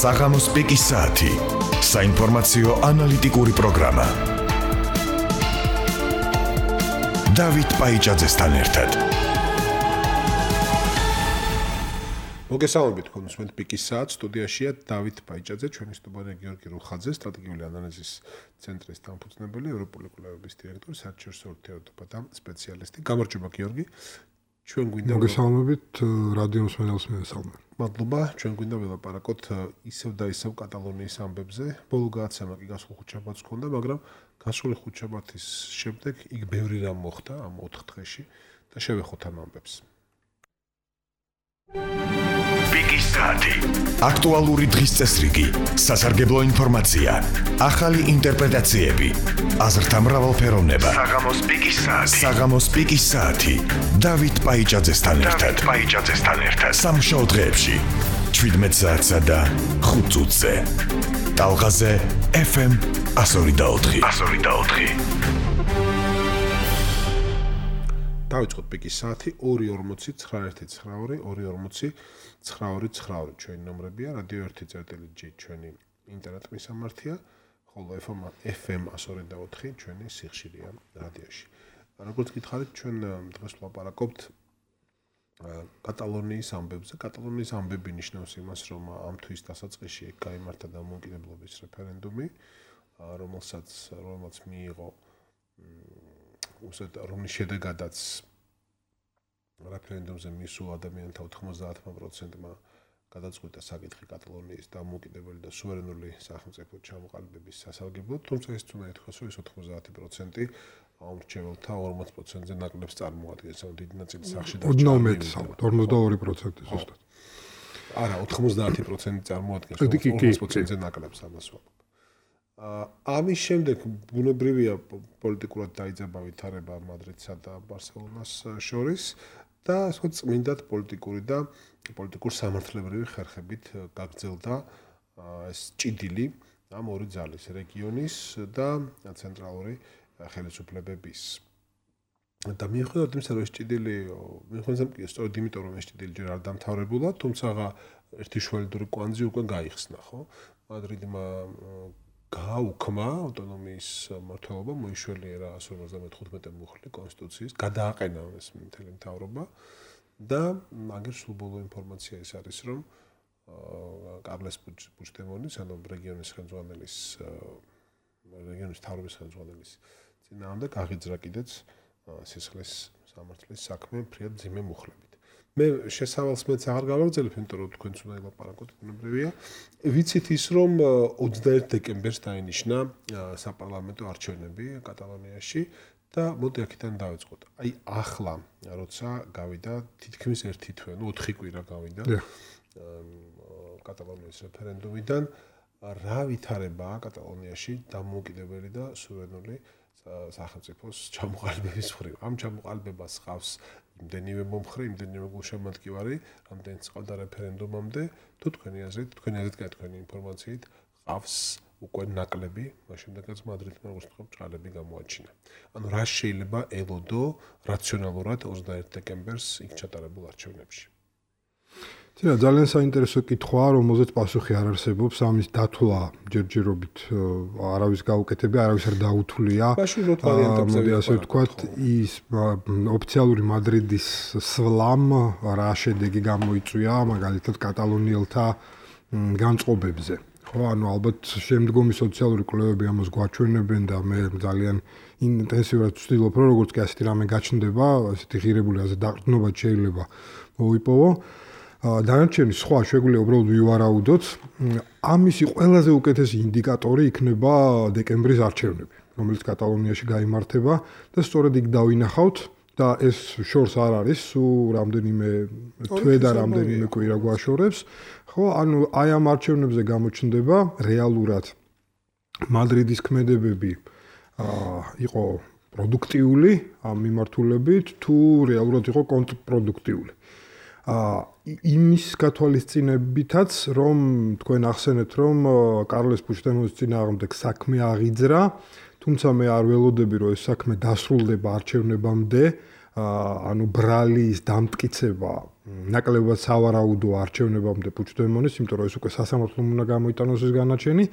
საღამოს პიკის საათი. საინფორმაციო ანალიტიკური პროგრამა. დავით პაიჭაძესთან ერთად. მოგესალმებით კონსუმენტ პიკის საათს, სტუდიაშია დავით პაიჭაძე, ჩვენი სტუმარია გიორგი რუხაძე, სტრატეგიული ანალიზის ცენტრის დამფუძნებელი, ევროპული კვლევების დირექტორი, საერთაშორისო ურთიერთობათა და სპეციალისტი. გამარჯობა გიორგი. ჩვენ გვინდა მოგესალმებით რადიო მსმენელს მესალმე. მადლობა, ჩვენ გვინდა ველაპარაკოთ ისევ და ისევ კატალონიის ამბებზე. ბოლო გადაცემა კი გასულ ხუთშაბათს ჰქონდა, მაგრამ გასული ხუთშაბათის შემდეგ იქ ბევრი რამ მოხდა ამ 4 დღეში და შევეხოთ ამ ამბებს. პიკის საათი. აქტუალური დღის წესრიგი, სასარგებლო ინფორმაცია, ახალი ინტერპრეტაციები, აზრთა მრავალფეროვნება. საღამოს პიკის საათი. საღამოს პიკის საათი. დავით პაიჭაძესთან ერთად. სამშაბათ დღეებში 17 საათსა და 5 წუთზე. ტალღაზე FM 102.4. დავიწყოთ პიკის საათი 240-912-240-929 ჩვენი ნომრებია, რადიო 1.G ჩვენი ინტერნეტ მისამართია, ხოლო FM 102.4 ჩვენი სიხშირეა რადიოში. როგორც გითხარით, ჩვენ დღეს ვლაპარაკობთ კატალონიის ამბებზე. კატალონიის ამბები ნიშნავს იმას, რომ ამ თვის დასაწყისში გაიმართა დამოუკიდებლობის რეფერენდუმი, რომელმაც მიიღო რომლის შედეგადაც რეფერენდუმზე მისულ ადამიანთა 90%-მა გადაწყვიტა საკითხი კატალონიის დამოუკიდებელი და სუვერენული სახელმწიფო ჩამოყალიბების სასარგებლოდ, თუმცა ის უნდა ითქვას, რომ ეს 90% ამრჩეველთა 40%-ზე ნაკლებს წარმოადგენს, ანუ დიდი ნაწილი სახში დარჩა. 42% ზუსტად. არა, 90% წარმოადგენს, 40%-ზე ნაკლებს ამას ვამბობ. ამის შემდეგ ბუნებრივია პოლიტიკურად დაიძაბა ვითარება მადრიდსა და ბარსელონას შორის და ასე წმინდად პოლიტიკურ სამართლებრივი ხერხებით გაგრძელდა ეს ჭიდილი ამ ორი ძალის, რეგიონის და ცენტრალური ხელისუფლებების. და მიუხედავად იმისა, რომ ეს ჭიდილი, სწორედ იმიტომ, რომ ეს ჭიდილი ჯერ არ დამთავრებულა, თუმცა ერთი შველიდური კვანძი უკვე გაიხსნა, ხო? მადრიდმა გააუქმა ავტონომიის მმართველობა, მოიშველიერა 155 მუხლი კონსტიტუციის, გადააყენა ეს მთელი მთავრობა და მაგერ სულ ბოლო ინფორმაცია ის არის, რომ კარლეს პუჩდემონის, ანუ რეგიონის მთავრობის ხელმძღვანელის წინააღმდეგ აღიძრა კიდეც სისხლის სამართლის საქმე ფრიად მძიმე მუხლებით. მე შესავალს მეც აღარ გავაგრძელებ, იმიტომ რომ თქვენც უნდა ელაპარაკოთ, ბუნებრივია. ვიცით ის, რომ 21 დეკემბერს დაინიშნა საპარლამენტო არჩევნები კატალონიაში და მოდი აქედან დავიწყოთ. აი ახლა, როცა გავიდა თითქმის 1 თვე, 4 კვირა გავიდა კატალონიის რეფერენდუმიდან, რა ვითარებაა კატალონიაში დამოუკიდებელი და სუვერენული სახელმწიფოს ჩამოყალიბების მხრივ. ამ ჩამოყალიბებას ჰყავს იმდენივე მომხრე, იმდენივე გულშემატკივარი, რამდენიც ჰყავდა რეფერენდუმამდე, თუ თქვენი აზრით თქვენი ინფორმაციით ჰყავს უკვე ნაკლები, მას შემდეგაც მადრიდმა უცხო ბრალები გამოაჩინა. ანუ რა შეიძლება ელოდო რაციონალურად 21 დეკემბერს იქ ჩატარებულ არჩევნებში? ძალიან საინტერესო კითხვაა, რომელზეც პასუხი არ არსებობს, ამის დათვლა ჯერჯერობით არავის გაუკეთებია, არავის არ დაუთვლია. მოდი ასე ვთქვათ, ის ოფიციალური მადრიდის სვლამ რა შედეგი გამოიწვია, მაგალითად კატალონიელთა განწყობებზე. ხო, ანუ ალბათ შემდგომი სოციალური კვლევები ამას გვაჩვენებენ და მე ძალიან ინტენსიურად ვცდილობ, რომ როგორც კი ასეთი რამე გაჩნდება, ასეთი ღირებული დაყრდნობა შეიძლება მოვიპოვო. დანარჩენი სხვა შეგვიძლია უბრალოდ ვივარაუდოთ. ამისი ყველაზე უკეთესი ინდიკატორი იქნება დეკემბრის არჩევნები, რომელიც კატალონიაში გაიმართება და სწორედ იქ დავინახავთ და ეს შორს არ არის, რამდენიმე თვე და რამდენიმე კვირა გვაშორებს. ხო, ანუ აი ამ არჩევნებზე გამოჩნდება რეალურად მადრიდის ქმედებები იყო პროდუქტიული ამ მიმართულებით, თუ რეალურად იყო კონტრპროდუქტიული. იმის გათვალისწინებითაც, რომ თქვენ ახსენეთ, რომ კარლეს პუჩდემონის წინააღმდეგ საქმე აღიძრა, თუმცა მე არ ველოდები, რომ ეს საქმე დასრულდება არჩევნებამდე, ანუ ბრალის დამტკიცება ნაკლებად სავარაუდო არჩევნებამდე პუჩდემონის, იმიტომ რომ ეს უკვე სასამართლომ უნდა გამოიტანოს ეს განაჩენი,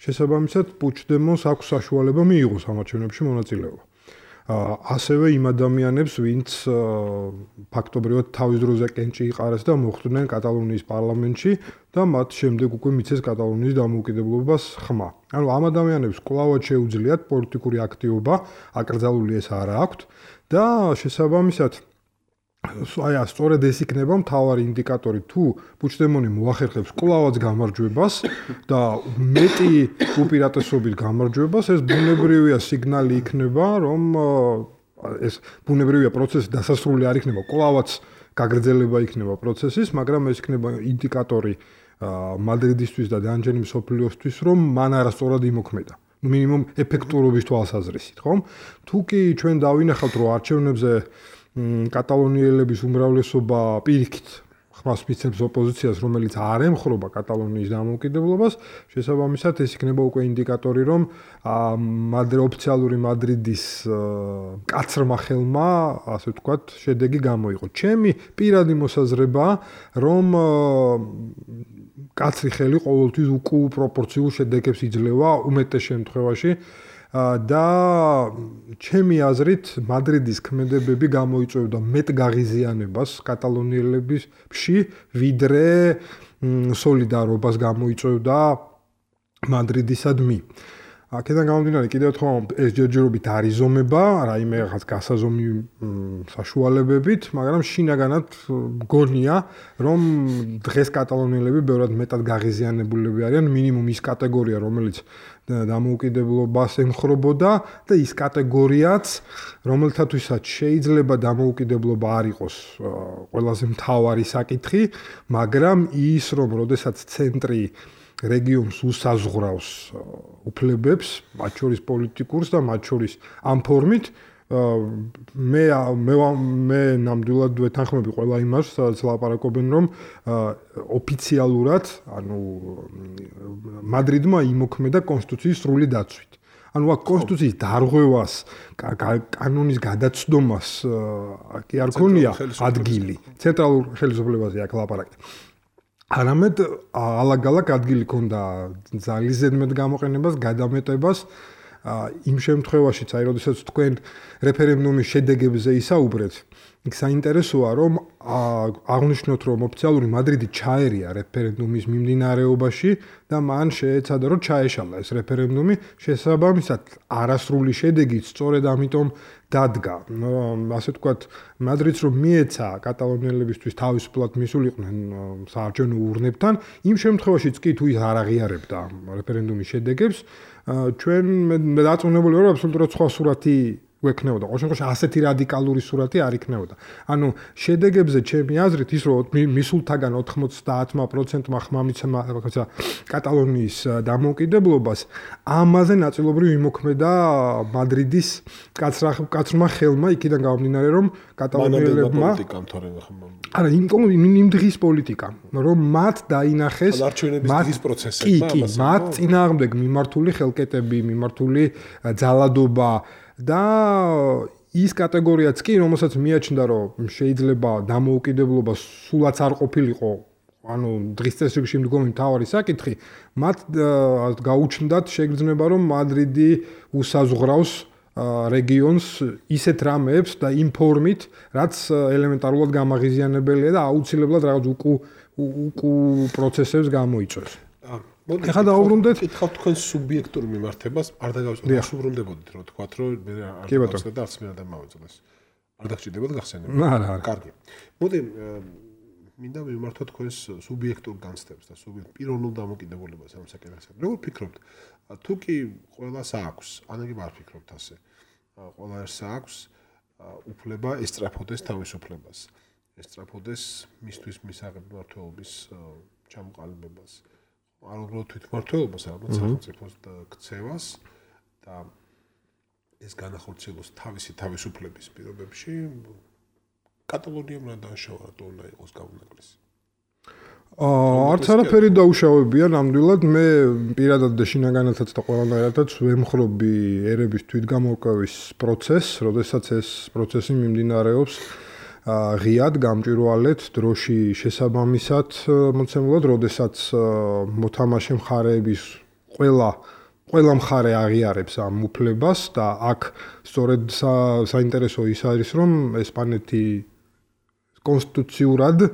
შესაბამისად პუჩდემონს აქვს საშუალება მიიღოს ამ არჩევნებში მონაწილეობა. ასევე იმ ადამიანებს, ვინც ფაქტობრივად თავის დროზე კენჭი იყარეს და მოხვდნენ კატალონიის პარლამენტში და მათ შემდეგ უკვე მიცეს კატალონიის დამოუკიდებლობას ხმა. ანუ ამ ადამიანებს კვლავად შეუძლიათ პოლიტიკური აქტივობა, აკრძალული ეს არა აქვთ და შესაბამისად სწორედ ეს იქნება მთავარი ინდიკატორი თუ პუჩდემონი მოახერხებს კვლავაც გამარჯვებას და მეტი უპირატესობით გამარჯვებას, ეს ბუნებრივია სიგნალი იქნება, რომ ეს ბუნებრივია პროცესი დასასრული არ იქნება, კვლავაც გაგრძელება იქნება პროცესის, მაგრამ ეს იქნება ინდიკატორი მადრიდისთვის და დანჯენი მსოფლიოსთვის, რომ მან არასწორად იმოქმედა. მინიმუმ ეფექტურობის თვალსაზრისით, ხომ? თუ კი ჩვენ დავინახავთ, რომ არჩევნებზე კატალონიელების უმრავლესობა პირიქით ხმას მიცემს ოპოზიციას, რომელიც არ ემხრობა კატალონიის დამოუკიდებლობას, შესაბამისად ეს იქნება უკვე ინდიკატორი, რომ ოფიციალური მადრიდის მკაცრმა ხელმა, ასე ვთქვათ, შედეგი გამოიღო. ჩემი პირადი მოსაზრებაა, რომ კაცრი ხელი ყოველთვის უკუპროპორციულ შედეგებს იძლევა უმეტეს შემთხვევაში და ჩემი აზრით მადრიდის ქმედებები გამოიწვევდა მეტ გაღიზიანებას კატალონიელებში, ვიდრე სოლიდარობას გამოიწვევდა მადრიდისადმი. აქედან გამომდინარე კიდევ ერთხელ ეს ჯერჯერობით არ იზომება, რაიმე რაღაც გასაზომი საშუალებებით, მაგრამ შინაგანად გონია, რომ დღეს კატალონიელები ბევრად მეტად გაღიზიანებულები არიან, მინიმუმ ის კატეგორია, რომელიც დამოუკიდებლობას ემხრობოდა და ის კატეგორიაც, რომელთათვისაც შეიძლება დამოუკიდებლობა არ იყოს ყველაზე მთავარი საკითხი, მაგრამ ის, რომ როდესაც ცენტრი რეგიონს უსაზღვრავს უფლებებს, მათ შორის პოლიტიკურს და მათ შორის ამ ფორმით მე ნამდვილად ვეთანხმები ყველა იმას, სადაც ლაპარაკობენ, რომ ოფიციალურად, ანუ მადრიდმა იმოქმედა კონსტიტუციის სრული დაცვით. ანუ აქ კონსტიტუციის დარღვევას, კანონის გადაცდომას კი არ ქონია ადგილი. ცენტრალურ ხელისუფლებაზე აქ ლაპარაკი. არამედ ალაგ-ალაგ ადგილი ქონდა ძალის ზედმეტ გამოყენებას, გადამეტებას იმ შემთხვევაშიც, აი, როდესაც თქვენ რეფერენდუმის შედეგებზე ისაუბრეთ, იქ საინტერესოა, რომ აღნიშნოთ, რომ ოფიციალური მადრიდი ჩაერია რეფერენდუმის მიმდინარეობაში და მან შეეცადა, რომ ჩაეშალა ეს რეფერენდუმი, შესაბამისად, არასრული შედეგით სწორედ ამიტომ დადგა. ასე ვთქვათ, მადრიდს რომ მიეცა კატალონიელებისთვის თავისუფლად მისულიყვნენ საარჩევნო ურნებთან, იმ შემთხვევაშიც კი თუ ის არ აღიარებდა რეფერენდუმის შედეგებს, ჩვენ მე დაწუნებული ვარ, აბსოლუტურად სხვა სურათი გვექნებოდა. ყოველ შემთხვევაში ასეთი რადიკალური სურათი არ იქნებოდა. ანუ შედეგებზე ჩემი აზრით ის რომ მისულთაგან 90%-მა ხმა მიცემა კატალონიის დამოუკიდებლობას, ამაზე ნაწილობრივ იმოქმედა მადრიდის კაცრმა ხელმა, იქიდან გამომდინარე რომ კატალონიელებმა არა, იმ დღის პოლიტიკა, რომ მათ დაინახეს მათ წინააღმდეგ მიმართული ხელკეტები, მიმართული ძალადობა და ის კატეგორიაც კი, რომელსაც მიაჩნდა, რომ შეიძლება დამოუკიდებლობა სულაც არ ყოფილიყო, ანუ დღის წესრიგში მდგომი მთავარი საკითხი, მათ გაუჩნდათ შეგრძნება, რომ მადრიდი usazღვრავს რეგიონს ისეთ რამეებს და იმ ფორმით, რაც ელემენტარულად გამაღიზიანებელია და აუცილებლად რაღაც უკუ პროცესებს გამოიწვევს. ეხლა დაუბრუნდეთ, კითხავთ თქვენ სუბიექტურ მიმართებას, არ დაგავსრულდებოდით, რომ თქვათ, რომ მე არ დავსვე და არც მე არ დამავეწლეს. არ დაგჭირდებოდა გახსენება. არა. კარგი. მოდი მინდა მიმართოთ თქვენს სუბიექტურ განცდებს და პიროვნულ დამოკიდებულებას ამ საკითხზე. როგორ ფიქრობთ, თუ კი ყველას აქვს, ანაგი არ ფიქრობთ ასე. ყველა ერთს აქვს უფლება ესწრაფოდეს თავისუფლებას. ესწრაფოდეს მისთვის მისაღები მმართველობის ჩამოყალიბებას. არ უბრალოდ თვითმმართველობას, არამედ სახელმწიფოს ქცევას და ეს განახორციელოს თავისი თავისუფლების პირობებში კატალონიამ რა დააშავა, რატო უნდა იყოს გაუნაკლისი? არც არაფერი დაუშავებია ნამდვილად მე პირადად და შინაგანათაც და ყველანაირადაც ვემხრობი ერების თვითგამორკვევის პროცესს, როდესაც ეს პროცესი მიმდინარეობს ღიად, გამჭვირვალედ, დროში შესაბამისად მოცემულად, როდესაც მოთამაშე მხარეების ყველა მხარე აღიარებს ამ უფლებას და აქ სწორედ საინტერესო ის არის, რომ ესპანეთი კონსტიტუციურად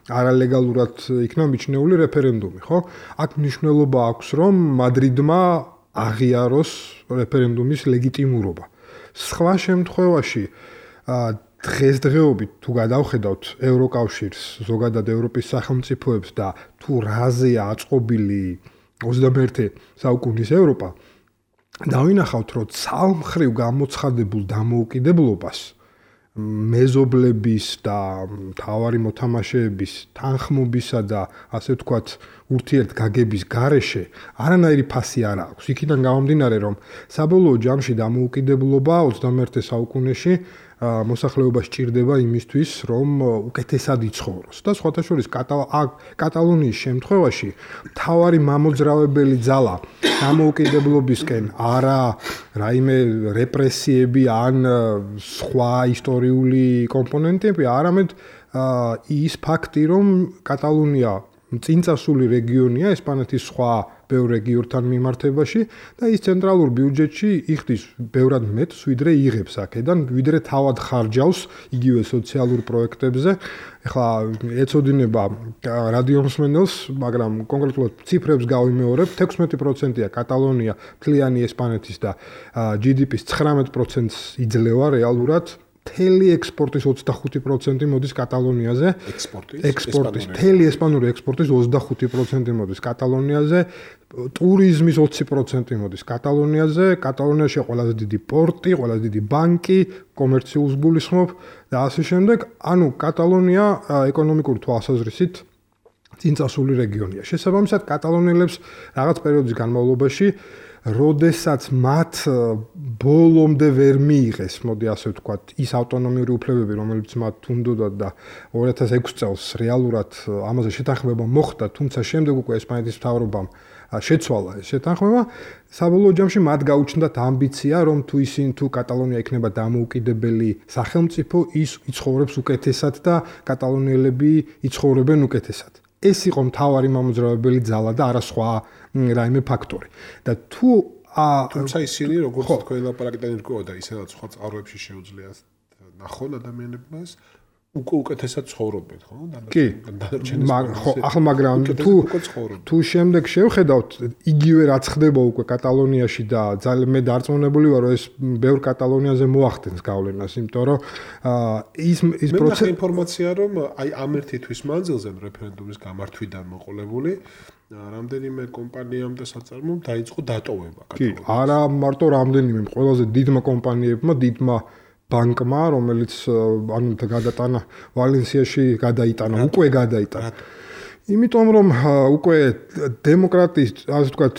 არალეგალურად იქნა მიჩნეული რეფერენდუმი, ხო? აქ მნიშვნელობა აქვს, რომ მადრიდმა აღიაროს რეფერენდუმის ლეგიტიმურობა. სხვა შემთხვევაში დღესდღეობით თუ გადავხედავთ ევროკავშირს, ზოგადად ევროპის სახელმწიფოებს და თუ რაზეა აწყობილი 21 საუკუნის ევროპა, დავინახავთ, რომ ცალმხრივ გამოცხადებულ დამოუკიდებლობას მეზობლების და მთავარი მოთამაშეების თანხმობისა და ასე ვთქვათ ურთიერთგაგების გარეშე არანაირი ფასი არ აქვს. იქიდან გამომდინარე, რომ საბოლოო ჯამში დამოუკიდებლობა 21 საუკუნეში მოსახლეობა სჭირდება იმისთვის, რომ უკეთესად იცხოვროს. და სხვათა შორის კატალონიის შემთხვევაში მთავარი მამოძრავებელი ძალა დამოუკიდებლობისკენ არა რაიმე რეპრესიები ან სხვა ისტორიული კომპონენტები, არამედ ის ფაქტი, რომ კატალონია წინწასული რეგიონია ესპანეთის სხვა ბევრ რეგიონთან მიმართებაში და ის ცენტრალურ ბიუჯეტში იხდის ბევრად მეტს, ვიდრე იღებს აქედან, ვიდრე თავად ხარჯავს იგივე სოციალურ პროექტებზე. ეხლა ეწოდინება რადიომსმენელს, მაგრამ კონკრეტულად ციფრებს გავიმეორებ, 16%-ია კატალონია მთლიანი ესპანეთის და GDP-ს 19%-ს იძლევა რეალურად. მთელი ექსპორტის 25% მოდის კატალონიაზე. ექსპორტის მთელი ესპანური ექსპორტის 25% მოდის კატალონიაზე. ტურიზმის 20% მოდის კატალონიაზე. კატალონიაში ყველაზე დიდი პორტი, ყველაზე დიდი ბანკი, კომერციულს გულისხმობ და ასე შემდეგ. ანუ კატალონია ეკონომიკური თვალსაზრისით წინწასული რეგიონია. შესაბამისად, კატალონიელებს რაღაც პერიოდის განმავლობაში როდესაც მათ ბოლომდე ვერ მიიღეს, მოდი ასე ვთქვათ, ის ავტონომიური უფლებები, რომელიც მათ უნდოდათ და 2006 წელს რეალურად ამაზე შეთანხმება მოხდა, თუმცა შემდეგ უკვე ესპანეთის მთავრობამ შეცვალა ეს შეთანხმება, საბოლოო ჯამში მათ გაუჩნდათ ამბიცია, რომ თუ კატალონია იქნება დამოუკიდებელი სახელმწიფო, ის იცხოვრებს უკეთესად და კატალონიელები იცხოვრებენ უკეთესად. ეს იყო მთავარი მამოძრავებელი ძალა და არა სხვა რაიმე ფაქტორი. და თუმცა ისინი როგორც თქვენ ლაპარაკიდან ირკვევა და ისედაც სხვა წყაროებში შეუძლია ნახონ ადამიანებს უკეთესად ცხოვრობენ, ხო? ახლა მაგრამ თუ შემდეგ შევხედავთ, იგივე რაც ხდება უკვე კატალონიაში და ძალიან მე დარწმუნებული ვარ, რომ ეს ბევრ კატალონიაზე მოახდენს გავლენას, იმიტომ რომ ის პროცესი მე ინფორმაცია რომ აი ამ ერთი თვის მანძილზე რეფერენდუმის გამართვიდან მოყოლებული რამდენიმე კომპანიამ და საწარმომ დაიწყო დატოვება კატალონიაში. კი, არა მარტო რამდენიმე, ყველაზე დიდმა კომპანიებმა, დიდმა ბანკმა, რომელიც ანუ გადატანა ვალენსიაში გადაიტანა, უკვე გადაიტანა. იმიტომ რომ უკვე დემოკრატიის, ასე ვთქვათ,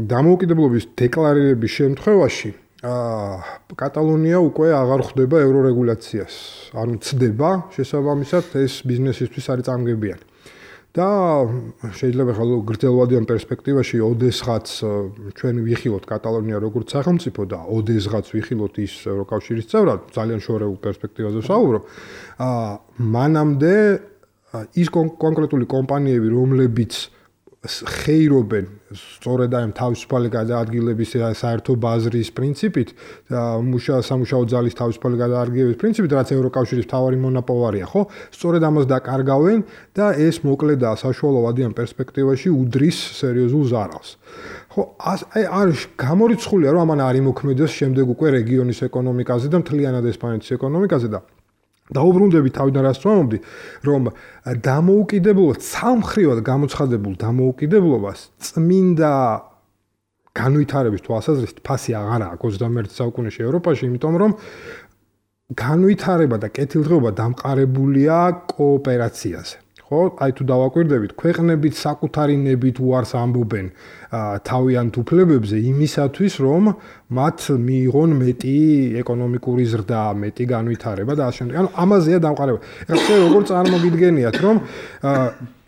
დამოუკიდებლობის დეკლარირების შემთხვევაში კატალონია უკვე აღარ ხვდება ევრორეგულაციას. ანუ ცდება შესაბამისად ეს ბიზნესისთვის არის წამგებიანი. და შეიძლება ხალხო გრძელვადიან პერსპექტივაში ოდესღაც ჩვენ ვიხილოთ კატალონია როგორც სახელმწიფო და ოდესღაც ვიხილოთ ის ევროკავშირის წევრად, ძალიან შორეულ პერსპექტივაზე ვსაუბრობ. მანამდე ის კონკრეტული კომპანიები, რომლებიც ხეირობენ სწორედ ამ თავისუფალი გადაადგილების საერთო ბაზრის პრინციპით და სამუშაო ძალის თავისუფალი გადაადგილების პრინციპით, რაც ევროკავშირის მთავარი მონოპოლია, ხო? სწორედ ამას დაკარგავენ და ეს მოკლე და საშუალო ვადიან პერსპექტივაში უდრის სერიოზულ ზარალს. ხო, აი არის გამორიცხულია, რომ ამან არ იმოქმედებს შემდეგ უკვე რეგიონის ეკონომიკაზე და მთლიანად ესპანეთის ეკონომიკაზე და დაუბრუნდები თავიდან რას ვამბობდი, რომ დამოუკიდებლობა ცალმხრივად გამოცხადებულ დამოუკიდებლობას წმინდა განვითარების თვალსაზრისით ფასი აღარ აქვს 21 საუკუნეში ევროპაში, იმიტომ რომ განვითარება და კეთილდღეობა დამყარებულია კოოპერაციაზე. ხო? აი თუ დავაკვირდებით, ქვეყნებით საკუთარი ნებით უარს ამბობენ თავიანთ უფლებებზე იმისათვის, რომ მათ მიიღონ მეტი ეკონომიკური ზრდა, მეტი განვითარება და ასე შემდეგ. ანუ ამაზეა დამყარება. ეხლა როგორ წარმოგიდგენიათ, რომ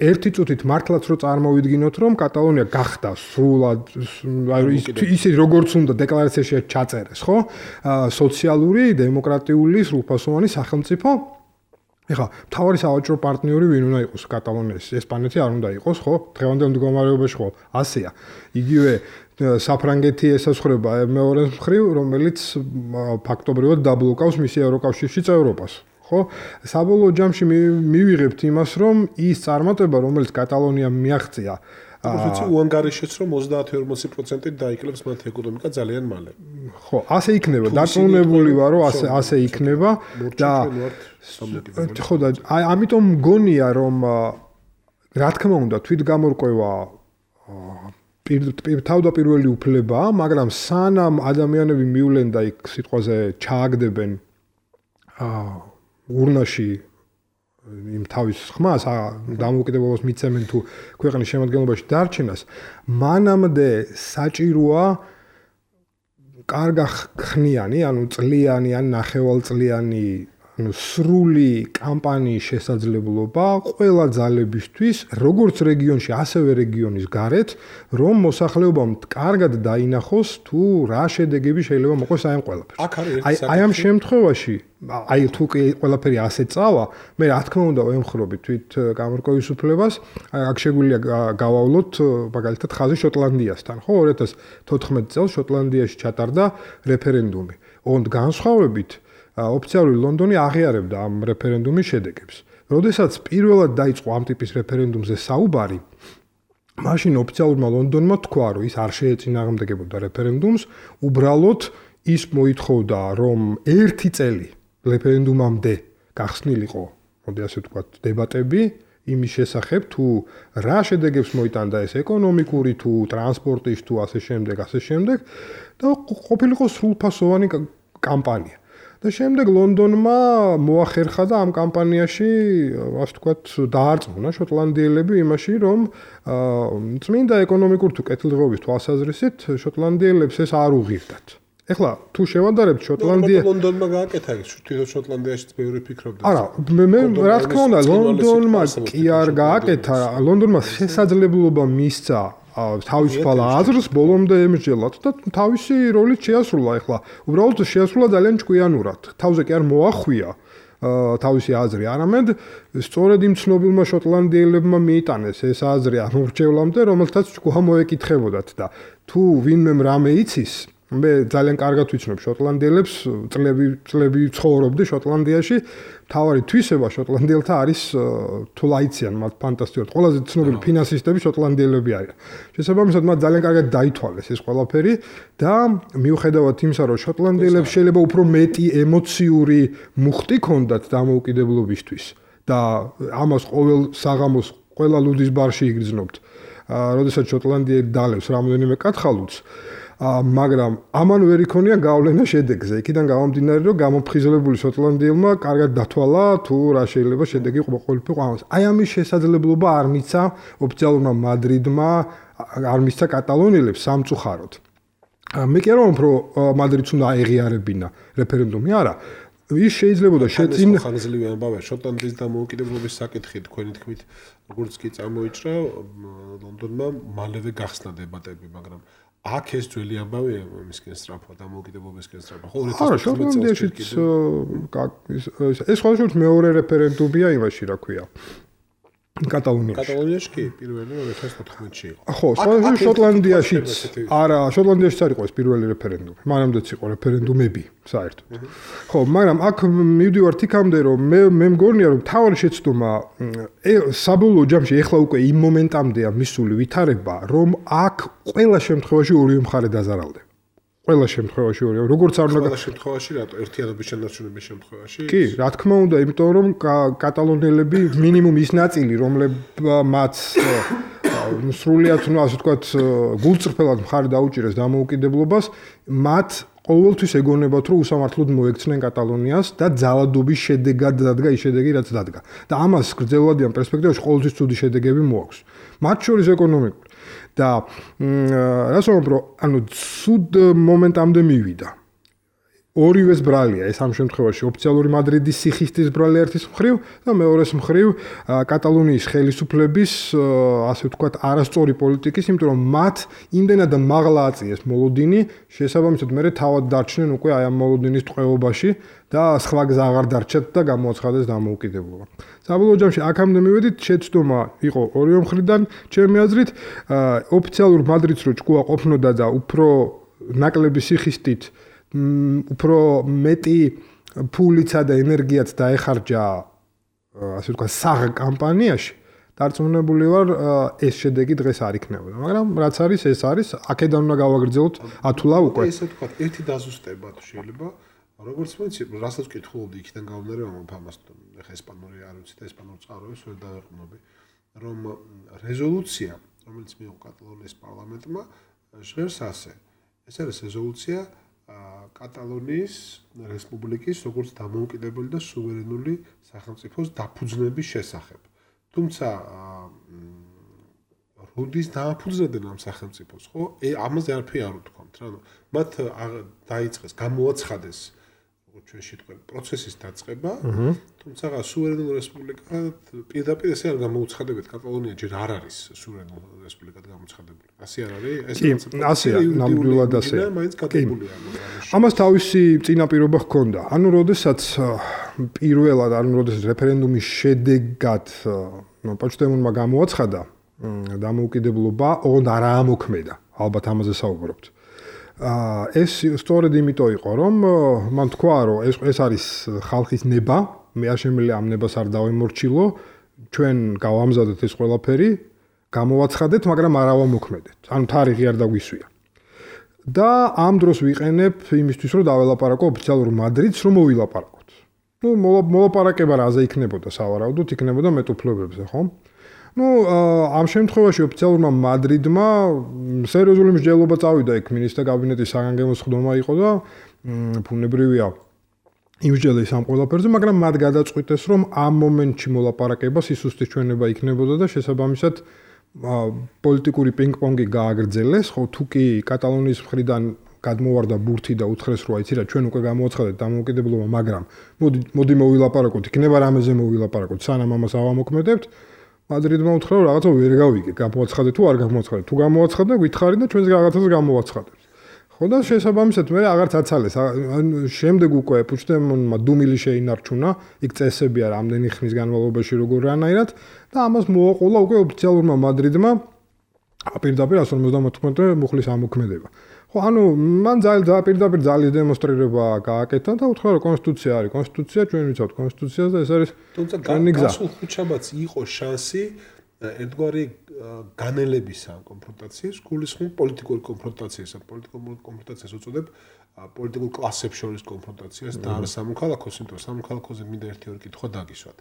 ერთი წუთით მართლაც რო წარმოვიდგინოთ, რომ კატალონია გახდა სრულად ისე როგორც უნდა დეკლარაციაში ჩაწერეს, ხო? სოციალური, დემოკრატიული, სრულფასოვანი სახელმწიფო. ეხლა მთავარი სავაჭრო პარტნიორი ვინ უნდა იყოს კატალონიის? ესპანეთი არ უნდა იყოს, ხო? დღევანდელ მდგომარეობაში ხო? ასეა. იგივე საფრანგეთი ესაზღვრება მეორე მხრივ, რომელიც ფაქტობრივად დაბლოკავს მისი ევროკავშირში წევრობას. ხო? საბოლოო ჯამში მივიღებთ იმას, რომ ის წარმატება, რომელიც კატალონიამ მიაღწია, ვიცი, უანგარიშეც რომ 30-40% დაიკლებს მათ ეკონომიკა ძალიან მალე. ხო, ასე იქნება, დარწმუნებული ვარ, რომ ასე იქნება და ხო და ამიტომ მგონია, რომ რა თქმა უნდა, თვითგამორკვევა თავდაპირველი უფლებაა, მაგრამ სანამ ადამიანები მივლენ და იქ სიტყვაზე ჩააგდებენ ურნაში იმ თავის ხმას დამოუკიდებლობას მიცემენ თუ ქვეყნის შემადგენლობაში დარჩენას, მანამდე საჭიროა კარგა ხნიანი, ანუ წლიანი ან ნახევალწლიანი, ანუ სრული კამპანიის შესაძლებლობა ყველა ძალებისთვის, როგორც რეგიონში, ასევე რეგიონის გარეთ, რომ მოსახლეობამ კარგად დაინახოს თუ რა შედეგები შეიძლება მოყოს აი ამ ყველაფერს. აი ამ შემთხვევაში აი თუ ყველაფერი ასე წავა, მე რა თქმა უნდა ვემხრობი თვით გამორკვევის უფლებას, აქ შეგვიძლია გავავლოთ მაგალითად ხაზი შოტლანდიასთან, ხო 2014 წელს შოტლანდიაში ჩატარდა რეფერენდუმი. ოღონდ განსხვავებით ოფიციალური ლონდონი აღიარებდა ამ რეფერენდუმის შედეგებს. როდესაც პირველად დაიწყო ამ ტიპის რეფერენდუმზე საუბარი, მაშინ ოფიციალურმა ლონდონმა თქვა, რომ ის არ შეეწინააღმდეგებოდა რეფერენდუმს, უბრალოდ ის მოითხოვდა, რომ 1 წელი რეფერენდუმამდე გახსნილიყო, მოდი ასე ვთქვათ, დებატები იმის შესახებ, თუ რა შედეგებს მოიტანდა ეს ეკონომიკური, თუ ტრანსპორტის, თუ ასე შემდეგ და ყოფილიყო სრულფასოვანი კამპანია. და შემდეგ ლონდონმა მოახერხა და ამ კამპანიაში, ასე ვთქვათ, დაარწმუნა შოტლანდიელები იმაში, რომ წმინდა ეკონომიკურ თუ კეთილდღეობის თვალსაზრისით შოტლანდიელებს ეს არ უღირდათ. ეხლა თუ შევადარებთ შოტლანდია ლონდონმა გააკეთა ის თვითონ შოტლანდიაშიც ბევრი ფიქრობდა. არა, მე რა თქმა უნდა ლონდონმა კი არ გააკეთა, ლონდონმა შესაძლებლობა მისცა თავისუფალ აზრს ბოლომდე ემსჯელათ და თავისი როლით შეასრულა ეხლა. უბრალოდ შეასრულა ძალიან ჭკვიანურად. თავზე კი არ მოახვია თავისი აზრი, არამედ სწორედ იმ ცნობილმა შოტლანდიელებმა მიიტანეს ეს აზრი ამ მრჩევლამდე, რომელთაც ჭკუა მოეკითხებოდათ და თუ ვინმე რამე იცის, მე ძალიან კარგად ვიცნობ შოტლანდიელებს, წლები ცხოვრობდი შოტლანდიაში. თავარი თვისება შოტლანდიელთა არის თუ ლაიციან მათ ფანტასტიკურად. ყველაზე ცნობილი ფინანსისტები შოტლანდიელები არიან. შესაბამისად მათ ძალიან კარგად დაითვალეს ეს ყველაფერი და მიუხედავად იმისა, რომ შოტლანდიელებს შეიძლება უფრო მეტი ემოციური მუხტი ჰქონდათ დამოუკიდებლობისთვის და ამას ყოველ საღამოს ყველა ლუდის ბარში იგრძნობთ. როდესაც შოტლანდიელი დალევს რამოდენიმე კათხალუც, მაგრამ ამან ვერ იქონია გავლენა შედეგზე. იქიდან გამომდინარე, რომ გამოფხიზლებული შოტლანდიელმა კარგად დათვალა თუ რა შეიძლება შედეგი ყოფილიყო ამას. აი ამის შესაძლებლობა არ მიცა ოფიციალურმა მადრიდმა, არ მიცა კატალონიელებს სამწუხაროდ. მე კი არ ვამბობ, რომ მადრიდს უნდა აეღიარებინა რეფერენდუმი, არა. ის შეიძლებოდა შეწინ ხანგრძლივი ამბავია შოტლანდიის დამოუკიდებლობის საკითხი თქვენი თქმით, როგორც კი წამოიჭრა ლონდონმა მალევე გახსნა დებატები, მაგრამ აქ ეს ძველი ამბავია მისკენ სწრაფვა დამოუკიდებლობისკენ სწრაფვა. ხო 2014 წელს ეს ხალხის მეორე რეფერენდუმია იმაში, რა ქვია. კატალონიაში კი პირველი 2014-ში იყო. ხო, შოტლანდიაშიც არა, შოტლანდიაშიც არ იყო ეს პირველი რეფერენდუმი. მანამდეც იყო რეფერენდუმები საერთოდ. ხო, მაგრამ აქ მივდივართ იქამდე, რომ მე მგონია, რომ თავი შეცდომა საბოლოო ჯამში ეხლა უკვე იმ მომენტამდეა მისული ვითარება, რომ აქ ყველა შემთხვევაში ორივე მხარე დაზარალდება. ყველა შემთხვევაში ორივე, როგორც არ უნდა ყველა შემთხვევაში რატო ერთიანობის შენარჩუნების შემთხვევაში? კი, რა თქმა უნდა, იმიტომ რომ კატალონიელები მინიმუმ ის ნაწილი, რომლებმაც სრულიად, ასე ვთქვათ, გულწრფელად მხარი დაუჭირეს დამოუკიდებლობას, მათ ყოველთვის ეგონებათ, რომ უსამართლოდ მოექცნენ კატალონიას და ძალადობის შედეგად დადგა ის შედეგი, რაც დადგა. და ამას გრძელვადიან პერსპექტივაში ყოველთვის ცუდი შედეგები მოაქვს. მათ შორის ეკონომიკური. და რას ვამბობ, რომ ანუ ცუდ მომენტამდე მივიდა. ორივეს ბრალია ეს ამ შემთხვევაში ოფიციალური მადრიდის სიხისტის ბრალი ერთის მხრივ და მეორეს მხრივ კატალონიის ხელისუფლების ასე ვთქვათ არასწორი პოლიტიკის, იმიტომ რომ მათ იმდენად მაღლა აწიეს მოლოდინი, შესაბამისად მე თავად დარჩნენ უკვე აი ამ მოლოდინის ტყვეობაში და სხვა გზა აღარ დარჩათ და გამოაცხადეს დამოუკიდებლობა. საბოლოო ჯამში აქამდე მივედით, შეცდომა იყო ორივე მხრიდან, ჩემი აზრით, ოფიციალურ მადრიდს რო ჭკუა ყოფნოდა და უფრო ნაკლები სიხისტით უფრო მეტი ფულიცა და ენერგიაც დაეხარჯა ასე ვთქვათ საღ კამპანიაში დარწმუნებული ვარ ეს შედეგი დღეს არ იქნებოდა მაგრამ რაც არის ეს არის აქედან უნდა გავაგრძელოთ ათულა უკვე ესე ვთქვათ ერთი დაზუსტება თუ შეიძლება როგორც ვიცი რასაც ვკითხულობდი იქიდან გამომდინარე რომ ამას ეხა ესპანური არ ვიცი და ესპანურ წყაროებს ვერ დავეყნობი რომ რეზოლუცია რომელიც მიიღო კატალონიის პარლამენტმა ჟღერს ასე ეს არის რეზოლუცია კატალონიის რესპუბლიკის როგორც დამოუკიდებელი და სუვერენული სახელმწიფოს დაფუძნების შესახებ. თუმცა როდის დააფუძნდნენ ამ სახელმწიფოს, ხო? ამაზე არაფერი არ უთქვამთ, რა. მათ დაიწყეს, გამოაცხადეს როგორც ჩვენ შეტყვი პროცესის დაწყება, თუმცა სუვერენული რესპუბლიკა პირდაპირ ესე არ გამოუცხადებთ კატალონია ჯერ არ არის სუვერენული რესპუბლიკად გამოცხადებული. ასე არ არის? ეს ასეა, ნამდვილად ასეა. ამას თავისი წინაპირობა ჰქონდა. ანუ როდესაც პირველად, ანუ როდესაც რეფერენდუმის შედეგად პუჩდემონმა გამოაცხადა დამოუკიდებლობა, ოღონდ არ ამოქმედა. ალბათ ამაზე საუბრობთ. ეს სწორედ იმიტომ იყო, რომ მან თქვა, რომ ეს არის ხალხის ნება, მე არ შემიძლია ამ ნებას არ დავემორჩილო, ჩვენ გავამზადეთ ეს ყველაფერი, გამოვაცხადეთ, მაგრამ არ ავამოქმედეთ. ანუ თარიღი არ დაგვისვია. და ამ დროს ვიყენებ იმისთვის, რომ დაველაპარაკო ოფიციალურ მადრიდს, რომ მოვილაპარაკოთ. ნუ მოლაპარაკება რაზე იქნებოდა სავარაუდოდ, იქნებოდა მეტუფლებებზე, ხო? ამ შემთხვევაში ოფიციალურმა მადრიდმა სერიოზული მსჯელობა წავიდა იქ მინისტრთა კაბინეტის საგანგებო სხდომა იყო და ფუნებრივია იმსჯელეს ამ ყველაფერზე, მაგრამ მათ გადაწყვიტეს, რომ ამ მომენტში მოლაპარაკება სისუსტის ჩვენება იქნებოდა და შესაბამისად პოლიტიკური პინგ-პონგი გააგრძელეს, ხო თუ კი კატალონიის მხრიდან გადმოვარდა ბურთი და უთხრეს, რომ აიცი რა, ჩვენ უკვე გამოაცხადეთ დამოუკიდებლობა, მაგრამ მოდი მოვილაპარაკოთ, იქნება რამეზე მოვილაპარაკოთ, სანამ ამას ავამოქმედებთ. მადრიდმა უთხრა რომ რაღაცა ვერ გავიგე, გამოაცხადე თუ არ გამოაცხადე. თუ გამოაცხადე, გითხარი და ჩვენს რაღაცას გამოაცხადებს. ხო და შესაბამისად მე აღარც აცალეს. შემდეგ უკვე პუჩდემონმა დუმილი შეინარჩუნა, იქ წესებია რამდენი ხნის განმავლობაში როგორ რანაირად და ამას მოაყოლა უკვე ოფიციალურმა მადრიდმა პირდაპირ 159 მუხლის ამოქმედება. ხო, ანუ მან პირდაპირ ძალის დემონსტრირება გააკეთა და უთხრა რომ კონსტიტუცია არის, კონსტიტუცია ჩვენ ვიცავთ კონსტიტუციას და ეს არის თუმცა გასულ ხუთშაბათს იყო შანსი ერთგვარი განელებისა კონფრონტაციის, გულისხმობ პოლიტიკური კონფრონტაციას, პოლიტიკური კონფრონტაციას უწოდებ პოლიტიკურ კლასებს შორის კონფრონტაციას და არა სამოქალაქოს, იმიტომ რომ სამოქალაქოზე მინდა ერთი-ორი კითხვა დაგისვათ.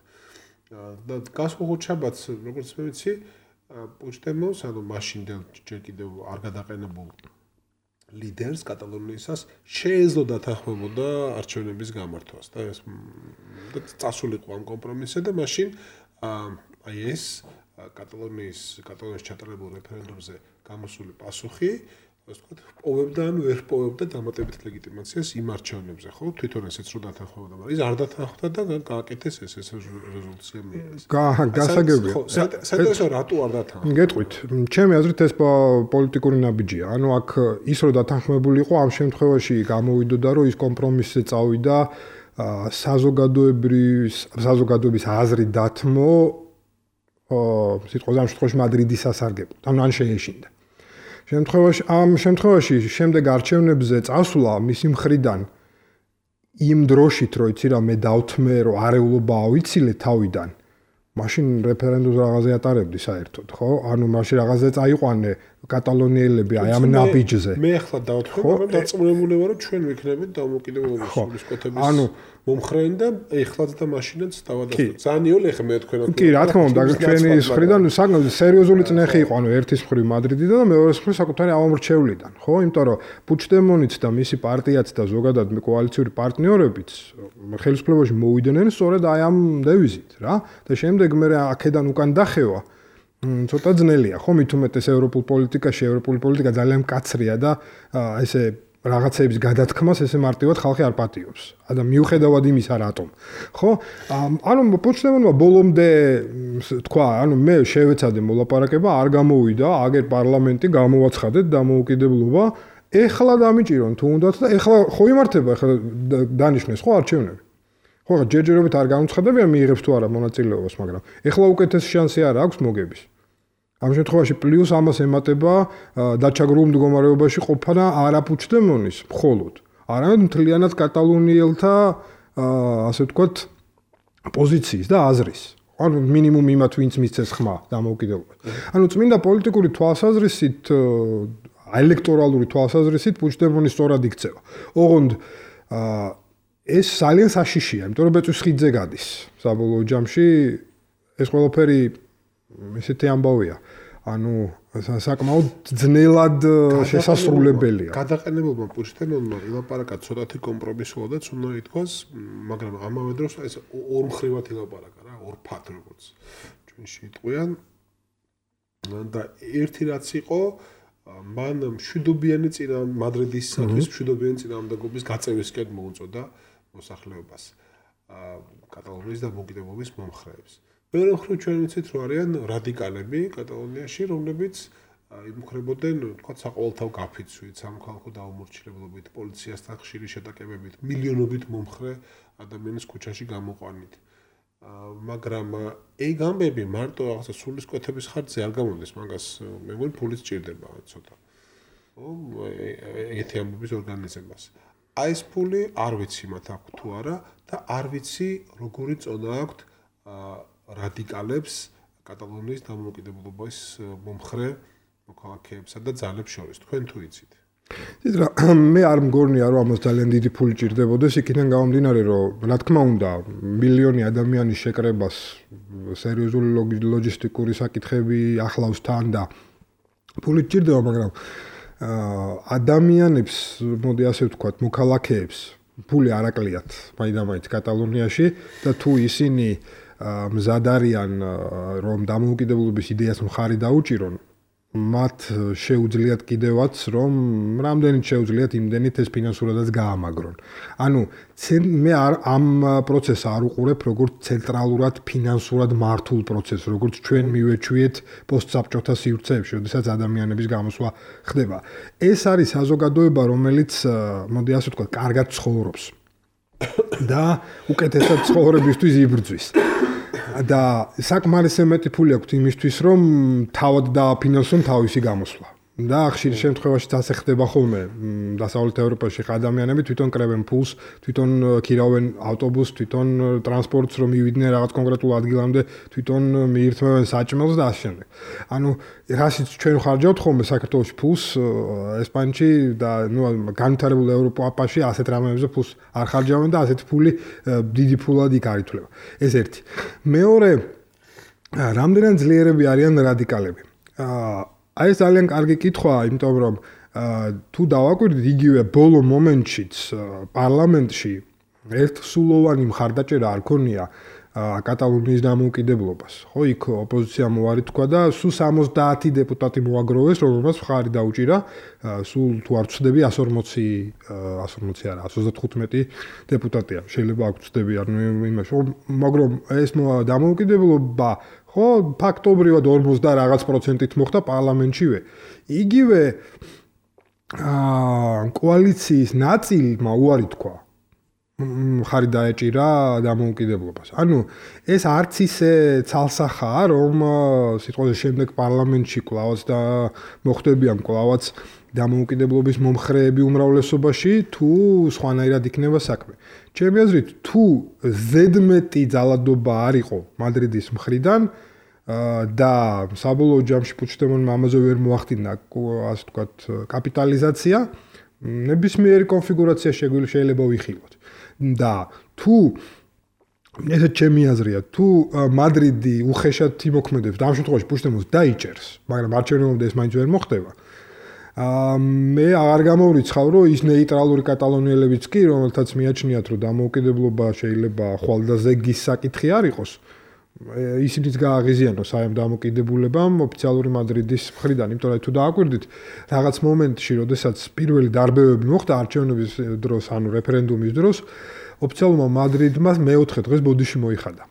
და გასულ ხუთშაბათს, როგორც მე ვიცი, პუჩდემონს, ანუ მაშინ ჯერ კიდევ არ გადაყენებულ ლიდერს კატალონიისას შეეძლო დათანხმებოდა არჩევნების გამართვას და ეს წასულიყო ამ კომპრომისზე და მაშინ აი ეს კატალონიის ჩატარებულ რეფერენდუმზე გამოსული პასუხი ასე ვთქვათ პოვებდა ან ვერ პოვებდა დამატებით ლეგიტიმაციას იმ არჩევნებზე ხო თვითონ ესეც რო დათანხმებოდა მაგრამ ის არ დათანხმდა და გააკეთეს ეს რეზოლუცია მიიღეს გასაგებია საერთოდ რატო არ დათანხმდა გეტყვით ჩემი აზრით ეს პოლიტიკური ნაბიჯია ანუ აქ ის რო დათანხმებული იყო ამ შემთხვევაში გამოვიდოდა რომ ის კომპრომისზე წავიდა საზოგადოების აზრი დათმო სიტყვაზე ამ შემთხვევაში მადრიდის სასარგებლოდ ანუ ან შეეშინდა ამ შემთხვევაში შემდეგ არჩევნებზე წასვლა მისი მხრიდან იმ დროშით რომ იცი რა მე დავთმე რომ არეულობა ავიცილე თავიდან მაშინ რეფერენდუმს რაღაცე ატარებდი საერთოდ ხო ანუ მაშინ რაღაცე წაიყვანე კატალონიელები აი ამ ნაბიჯზე. მე ახლა დავთქვი, მაგრამ დაწმუნებული ვარ, რომ ჩვენ ვიქნებით დამოუკიდებლობის სულისკვეთების მომხრენი და ეხლაც და მაშინაც დავადასტურებთ. ძალიან იოლი ახლა მე თქვენ. კი, რა თქმა უნდა, ჩვენი მხრიდან საკმაოდ სერიოზული წნეხი იყო, ანუ ერთის მხრივ მადრიდიდან და მეორეს მხრივ საკუთარი ამომრჩევლიდან, ხო? იმიტომ რომ პუჩდემონიც და მისი პარტიაც და ზოგადად კოალიციური პარტნიორებიც ხელისუფლებაში მოვიდნენ სწორედ აი ამ დევიზით, რა. და შემდეგ მე აქედან უკან დახევა ცოტა ძნელია, ხო? მით უმეტეს ევროპულ პოლიტიკაში, ევროპული პოლიტიკა ძალიან მკაცრია და ესე რაღაცების გადათქმას ესე მარტივად ხალხი არ პატიობს. და მიუხედავად იმისა, რატომ. ხო? ანუ პუჩდემონმა ბოლომდე თქვა, ანუ მე შევეცადე მოლაპარაკება, არ გამოვიდა, აგერ პარლამენტი გამოვაცხადეთ დამოუკიდებლობა, ეხლა დამიჭირონ თუნდაც და ეხლა ხო იმართება, ეხლა დანიშნეს ხო არჩევნები. ხო, ჯერჯერობით არ გამოცხადებია მიიღებს თუ არა მონაწილეობას, მაგრამ ეხლა უკეთესი შანსი არ აქვს მოგების. ამ შემთხვევაში პლუს ამას ემატება დაჩაგრულ მდგომარეობაში ყოფნა არა პუჩდემონის მხოლოდ, არამედ მთლიანად კატალონიელთა ასე ვთქვათ პოზიციის და აზრის. ანუ მინიმუმ იმათ ვინც მისცეს ხმა დამოუკიდებლობას. ანუ წმინდა პოლიტიკური თვალსაზრისით, ელექტორალური თვალსაზრისით პუჩდემონი სწორად იქცევა. ოღონდ ეს ძალიან საშიშია, იმიტომ რომ ბეწვის ხიდზე გადის. საბოლოო ჯამში ეს ყველაფერი ესეთი ამბავია. ანუ საკმაოდ ძნელად შესასრულებელია. გადაყენებულმა პუჩდემონმა ილაპარაკა ცოტათი კომპრომისულადაც უნდა ითქვას, მაგრამ ამავე დროს ეს ორმხრივად ილაპარაკა რა, ორფათ როგორც ჩვენში იტყვიან. და ერთი რაც იყო მან მშვიდობიანი მადრიდისათვის მშვიდობიანი წინააღმდეგობის გაწევისკენ მოუწოდა მოსახლეობას კატალონიის დამოუკიდებლობის მომხრეებს. მეორე მხრივ ჩვენ ვიცით, რომ არიან რადიკალები კატალონიაში, რომლებიც იმუქრებოდნენ, თქვა, საყოველთაო გაფიცვით, სამოქალაქო დაუმორჩილებლობით, პოლიციასთან ხშირი შეტაკებებით, მილიონობით მომხრე ადამიანის ქუჩაში გამოყვანით. მაგრამ ეგ ამბები მარტო რაღაცა სულისკვეთების ხარჯზე არ გამომდის, მაგას მე მგონი ფულიც ჭირდება ცოტა. ეგეთი ამბების ორგანიზებას. აი ეს ფული არ ვიცი მათ აქვს თუ არა და არ ვიცი როგორი წონა აქვს რადიკალებს კატალონიის დამოუკიდებლობის მომხრე მოქალაქეებსა და ძალებს შორის. თქვენ თუ იცით? მე არ მგონია, რომ ამას ძალიან დიდი ფული ჭირდებოდეს, იქიდან გამომდინარე, რომ რა თქმა უნდა, მილიონი ადამიანის შეკრებას სერიოზული ლოჯისტიკური საკითხები ახლავს თან და ფული ჭირდება, მაგრამ ადამიანებს, მოდი ასე ვთქვათ, მოქალაქეებს ფული არ აკლიათ მაინდა-მაინც კატალონიაში და თუ ისინი მზად არიან, რომ დამოუკიდებლობის იდეას მხარი დაუჭირონ, მათ შეუძლიათ კიდევაც, რომ რამდენიც შეუძლიათ იმდენით ეს ფინანსურადაც გაამაგრონ. ანუ მე ამ პროცესს არ უყურებ როგორც ცენტრალურად ფინანსურად მართულ პროცესს, როგორც ჩვენ მივეჩვიეთ პოსტსაბჭოთა სივრცეებში, როდესაც ადამიანების გამოსვლა ხდება. ეს არის საზოგადოება, რომელიც, მოდი ასე ვთქვათ, კარგად ცხოვრობს და უკეთესად ცხოვრებისთვის იბრძვის. და საკმარისი მეტი ფული აქვს იმისთვის, რომ თავად დააფინანსონ თავისი გამოსვლა. და ხშირ შემთხვევაში ასე ხდება ხოლმე. დასავლეთ ევროპაში ადამიანები თვითონ კრებენ ფულს, თვითონ ქირავენ ავტობუსს, თვითონ ტრანსპორტს, რომ მივიდნენ რაღაც კონკრეტულ ადგილამდე, თვითონ მიირთმევენ საჭმელს და ასე შემდეგ. ანუ რაშიც ჩვენ ხარჯავთ ხოლმე საქართველოში ფულს, ესპანეთში და განვითარებულ ევროპაში ასეთ რამეებზე ფულს არ ხარჯავენ და ასეთ ფული დიდი ფულად იქ არ ითვლება. ეს ერთი. მეორე, რამდენად ძლიერები არიან რადიკალები. აი ეს ძალიან კარგი კითხვაა, იმიტომ რომ თუ დავაკვირდით იგივე ბოლო მომენტშიც პარლამენტში ერთსულოვანი მხარდაჭერა არ ქონია კატალონიის დამოუკიდებლობას. ხო, იქ ოპოზიცია მოარი თქვა და სულ 70 დეპუტატი მოაგროვეს, რომელმაც მხარი დაუჭირა, სულ თუ არ ვცდები 140 არა, 135 დეპუტატია. შეიძლება აქ ვცდები, ანუ იმაში, მაგრამ ეს დამოუკიდებლობა ხო, ფაქტობრივად 40 და რაღაც პროცენტით მოხდა პარლამენტშივე. იგივე კოალიციის ნაწილმა უარი თქვა. მხარი დაეჭირა დამოუკიდებლობას. ანუ ეს არც ისე ცალსახაა, რომ სიტყვაზე შემდეგ პარლამენტში კლავაც და მოხდებიან კლავაც დამოუკიდებლობის მომხრეები უმრავლესობაში, თუ სხვანაირად იქნება საქმე. ჩემი აზრით, თუ ზედმეტი ძალადობა არ იყო მადრიდის მხრიდან, და საბოლოო ჯამში პუჩდემონმა ამაზე ვერ მოახდინა ასე ვთქვათ კაპიტალიზაცია ნებისმიერი კონფიგურაცია შეიძლება ვიხილოთ და თუ ესეც ჩემი აზრია თუ მადრიდი უხეშად იმოქმედებს და ამ შემთხვევაში პუჩდემონს დაიჭერს მაგრამ არჩევნებამდე ეს მაინც ვერ მოხდება მე აღარ გამოვრიცხავ რომ ის ნეიტრალური კატალონიელებიც კი რომელთაც მიაჩნიათ რომ დამოუკიდებლობა შეიძლება ხვალდაზე გის საკითხი არ იყოს ისინიც გააღიზიანოს აი ამ დამოკიდებულებამ ოფიციალური მადრიდის მხრიდან, იმიტომ რომ თუ დააკვირდით, რაღაც მომენტში, როდესაც პირველი დარბევები მოხდა არჩევნების დროს, ანუ რეფერენდუმის დროს, ოფიციალურმა მადრიდმა მეოთხე დღეს ბოდიში მოიხადა.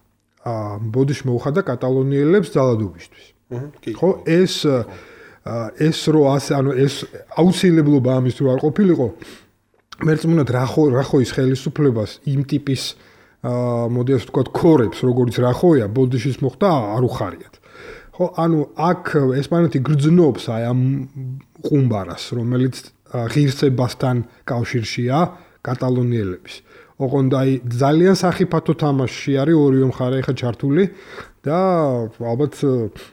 ბოდიში მოუხადა კატალონიელებს ძალადობისთვის. ხო, ეს რო ასე, ანუ ეს აუცილებლობა ამის თუ არ ყოფილიყო, მერწმუნად რახოის ხელისუფლებას იმ ტიპის მოდი ასე ვთქვათ ქორებს როგორც რახოია ბოდიშის მოხდა არ უხარიათ. ხო, ანუ აქ ესპანეთი გრძნობს აი ამ ყუმბარას, რომელიც ღირსებასთან კავშირშია კატალონიელების. ოღონდ აი ძალიან სახიფათო თამაშში არის ორივე მხარე ხა ჩართული და ალბათ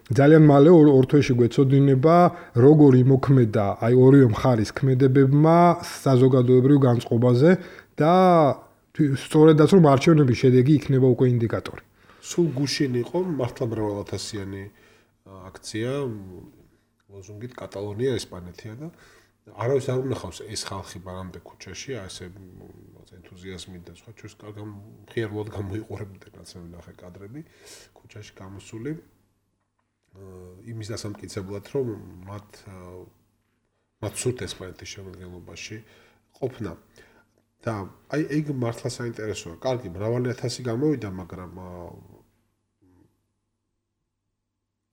ძალიან მალე ორ თვეში გვეცოდინება როგორ იმოქმედა აი ორივე მხარის ქმედებებმა საზოგადოებრივ განწყობაზე და სწორედაც რომ არჩევნების შედეგი იქნება უკვე ინდიკატორი. სულ გუშინ იყო მართლა მრავალათასიანი აქცია ლოზუნგით კატალონია ესპანეთია და არავის არ უნახავს ეს ხალხი ბარამდე ქუჩაში ასე ენთუზიაზმით და სხვა ჩვენს მხიარულად გამოიყურებდნენ რაც მე ვნახე კადრები ქუჩაში გამოსული იმის დასამტკიცებლად რომ მათ სურთ ესპანეთის შემადგენლობაში ყოფნა და აი ეგ მართლა საინტერესოა. კარგი, მრავალი ათასი გამოვიდა, მაგრამ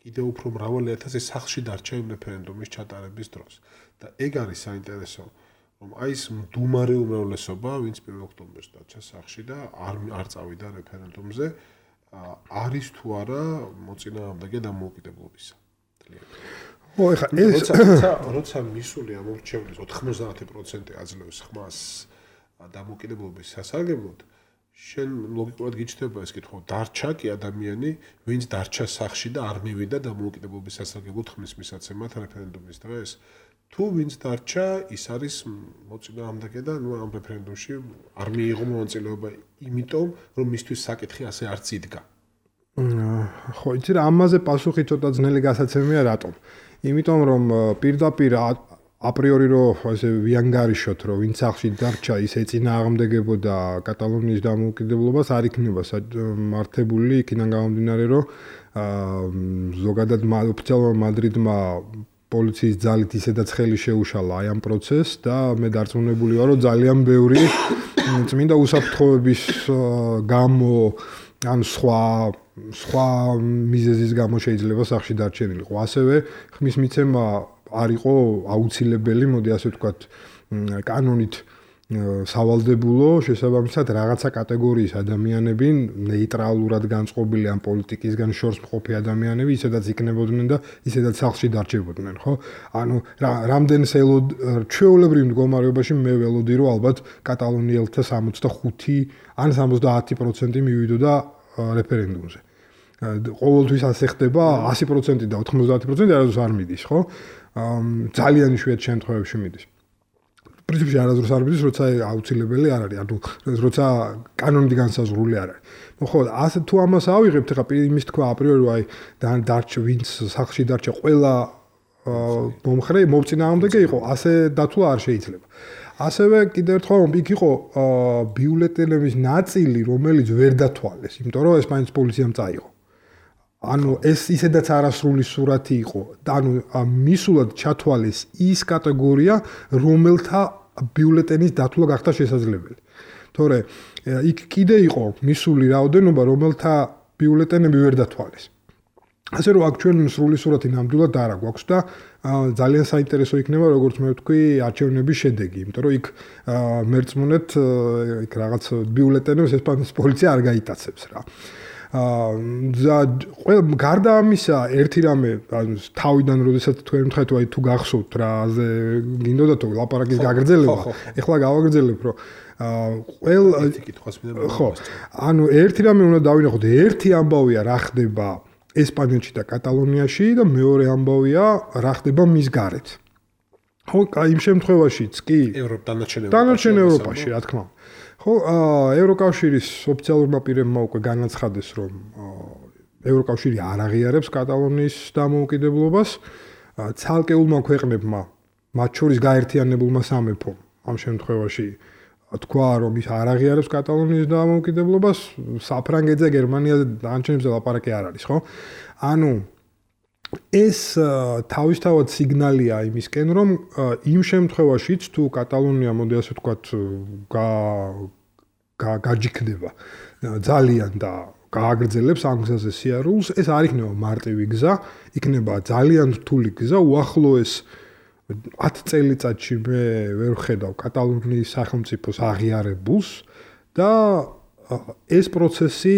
კიდევ უფრო მრავალი ათასი სახლში დარჩა იმ რეფერენდუმის ჩატარების დროს. და ეგ არის საინტერესო, რომ აი ეს მდუმარე უმრავლესობა, ვინც 1 ოქტომბერს დარჩა სახლში და არ წავიდა რეფერენდუმზე, არის თუ არა მოწინააღმდეგე დამოუკიდებლობისა. ო, ეხლა ეს როცა მისული ამორჩევლის 90% აძლევს ხმას დამოუკიდებლობის სასარგებლოდ შენ ლოგიკურად გიჩნდება ეს კითხვა დარჩა კი ადამიანი ვინც დარჩა სახლში და არ მივიდა დამოუკიდებლობის სასარგებლოდ ხმის მისაცემად რეფერენდუმის დღეს თუ ვინც დარჩა ის არის მოწინააღმდეგე და ნუ ამ რეფერენდუმში არ მიიღო მონაწილეობა იმიტომ რომ მისთვის საკითხი ასე არც იდგა ხო იცი რა ამაზე პასუხი ცოტა ძნელი გასაცემია რატომ იმიტომ რომ პირდაპირ აპრიორი რომ ასე ვიანგარიშოთ რომ ვინც სახლში დარჩა ის ეწინააღმდეგებოდა კატალონიის დამოუკიდებლობას არ იქნება მართებული იქიდან გამომდინარე რომ ზოგადად ოფიციალურმა მადრიდმა პოლიციის ძალით ისედაც ხელი შეუშალა აი ამ პროცესს და მე დარწმუნებული ვარ რომ ძალიან ბევრი წმინდა უსაფრთხოების გამო ან სხვა მიზეზის გამო შეიძლება სახლში დარჩენილიყო ასევე ხმის მიცემა არ იყო აუცილებელი, მოდი ასე ვთქვათ, კანონით სავალდებულო, შესაბამისად რაღაცა კატეგორიის ადამიანები, ნეიტრალურად განწყობილი ან პოლიტიკისგან შორს მყოფი ადამიანები, ისედაც იქნებოდნენ და ისედაც სახლში დარჩებოდნენ, ხო? ანუ რამდენ ჩვეულებრივ მდგომარეობაში მე ველოდი რომ ალბათ კატალონიელთა 65 ან 70% მივიდოდა რეფერენდუმზე. ყოველთვის ასე ხდება 100% და 90% არასდროს არ მიდის, ხო? ძალიან იშვიათ შემთხვევებში მიდის. პრინციპში არასდროს არ მიდის, როცა აუცილებელი არ არის, ანუ როცა კანონით განსაზღვრული არ არის. ნუ ხო, ასე თუ ამას ავიღებთ, ხა იმის თქვა აპრიორი, აი დარჩა ვინც სახლში დარჩა ყველა მომხრე მოვწინააღმდეგე იყო, ასე დათვლა არ შეიძლება. ასევე კიდევ ერთხელ იქ იყო ბიულეტენების ნაწილი, რომელიც ვერ დათვალეს, იმიტომ რომ ესპანეთის პოლიციამ წაიღო. ანუ ეს ისედაც არასრული სურათი იყო და ანუ მისულად ჩათვალეს ის კატეგორია რომელთა ბიულეტენის დათვლა გახდა შესაძლებელი. თორე იქ კიდე იყო მისული რაოდენობა რომელთა ბიულეტენები ვერ დათვალეს. ასე რომ აქ ჩვენ სრული სურათი ნამდვილად არ აქვს და ძალიან საინტერესო იქნება როგორც მე ვთქვი არჩევნების შედეგი, იმიტომ რომ იქ მერწმუნეთ იქ რაღაც ბიულეტენებს ესპანეთის პოლიცია არ გაიტაცებს რა. გარდა ამისა ერთი რამე თავიდან როდესაც თქვენ მითხეთ აი თუ გახსოვთ რაზე გინდოდა თუ ლაპარაკის გაგრძელება ეხლა გავაგრძელებ რომ ანუ ერთი რამე უნდა დავინახოთ ერთი ამბავია რა ხდება ესპანეთში და კატალონიაში და მეორე ამბავია რა ხდება მის გარეთ. ხო, იმ შემთხვევაშიც კი დანარჩენ ევროპაში, რა თქმა უნდა. ხო, ევროკავშირის ოფიციალურმა პირებმა უკვე განაცხადეს, რომ ევროკავშირი არ აღიარებს კატალონიის დამოუკიდებლობას. ცალკეულმა ქვეყნებმა, მათ შორის გაერთიანებულმა სამეფომ, ამ შემთხვევაში თქვა, რომ ის არ აღიარებს კატალონიის დამოუკიდებლობას, საფრანგეთზე, გერმანიაზე დანარჩენებზე ლაპარაკი არ არის, ხო? ანუ ეს თავისთავად სიგნალია იმისკენ, რომ იმ შემთხვევაშიც თუ კატალონია, მოდი ასე ვთქვათ, გაჯიქდება ძალიან და გააგრძელებს ამ გზაზე სიარულს, ეს არ იქნება მარტივი გზა, იქნება ძალიან რთული გზა, უახლოეს 10 წელიწადში მე ვერ ვხედავ კატალონიის სახელმწიფოს აღიარებულს და ეს პროცესი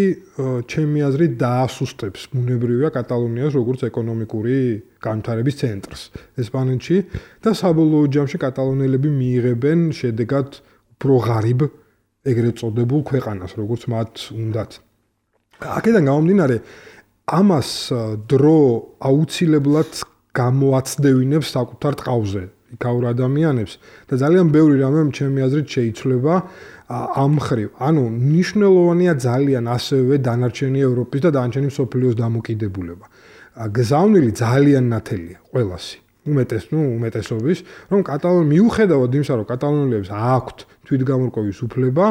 ჩემი აზრით დაასუსტებს ბუნებრივია კატალონიას როგორც ეკონომიკური განვითარების ცენტრს ესპანეთში და საბოლოო ჯამში კატალონელები მიიღებენ შედეგად უფრო ღარიბ ეგრეთ წოდებულ ქვეყანას როგორც მათ უნდათ. აქედან გამომდინარე ამას დრო აუცილებლად გამოაცდევინებს საკუთარ ტყავზე იქაურ ადამიანებს და ძალიან ბევრი რამე ჩემი აზრით შეიცვლება ამ მხრივ. ანუ მნიშვნელოვანია ძალიან ასევე დანარჩენი ევროპის და დანარჩენი მსოფლიოს დამოკიდებულება. გზავნილი ძალიან ნათელია ყველასი. უმეტესობის, რომ მიუხედავად იმისა, რომ კატალონელებს აქვთ თვითგამორკვევის უფლება,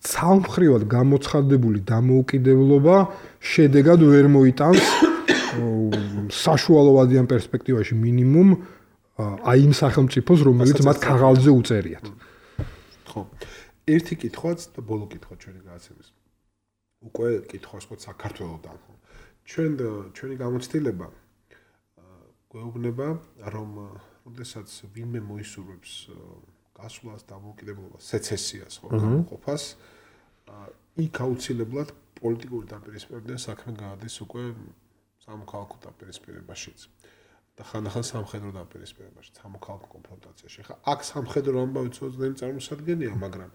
ცალმხრივად გამოცხადებული დამოუკიდებლობა შედეგად ვერ მოიტანს საშუალოვადიან პერსპექტივაში მინიმუმ აი იმ სახელმწიფოს, რომელიც მათ ქაღალდზე უწერიათ. ხო. ერთი კითხვაც და ბოლო კითხვა ჩვენი გადაცემის. უკვე კითხვას ხო საქართველოსთან. ჩვენი გამოცდილება გვეუბნება, რომ როდესაც ვინმე მოისურვებს გასვლას, დამოუკიდებლობას, სეცესიას, ხო, გამოყოფას, იქ აუცილებლად პოლიტიკური დაპირისპირებიდან საქმე გაადის უკვე სამოქალაქო დაპირისპირებაშიც და ხანდახან სამხედრო დაპირისპირებაში, სამოქალაქო კონფრონტაციაში. ხა აქ სამხედრო ამბავი ცოტათი წარმოსადგენია, მაგრამ